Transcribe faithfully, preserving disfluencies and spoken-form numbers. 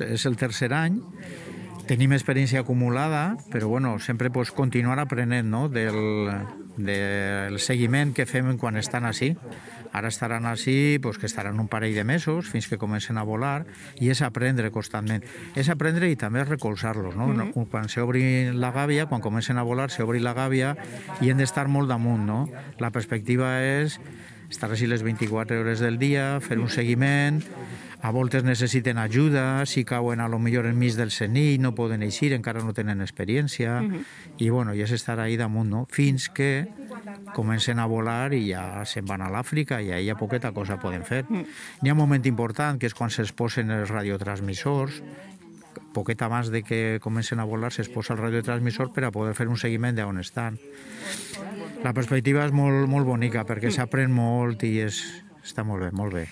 anys, és el tercer any, tenim experiència acumulada, però bueno, sempre pues, continuar aprenent no? del, del seguiment que fem quan estan així. Ara estaran així, pues, que estaran un parell de mesos fins que comencen a volar, i és aprendre constantment. És aprendre i també recolzar-los. No? Mm-hmm. Quan s'obri la gàbia, quan comencen a volar, s'obri la gàbia i hem d'estar molt damunt. No? La perspectiva és estar així les vint-i-quatre hores del dia, fer un seguiment. A voltes necessiten ajuda, si cauen a lo millor enmig del senit, no poden eixir, encara no tenen experiència, uh-huh. i bueno, ja és estar ahí damunt, no? Fins que comencen a volar i ja se'n van a l'Àfrica i ahí ja poqueta cosa poden fer. Uh-huh. N'hi ha un moment important, que és quan se'ls posen els radiotransmissors, poquet abans de que comencen a volar se'ls posa el radiotransmissor per a poder fer un seguiment d'on estan. La perspectiva és molt, molt bonica, perquè s'aprèn molt i és, està molt bé, molt bé.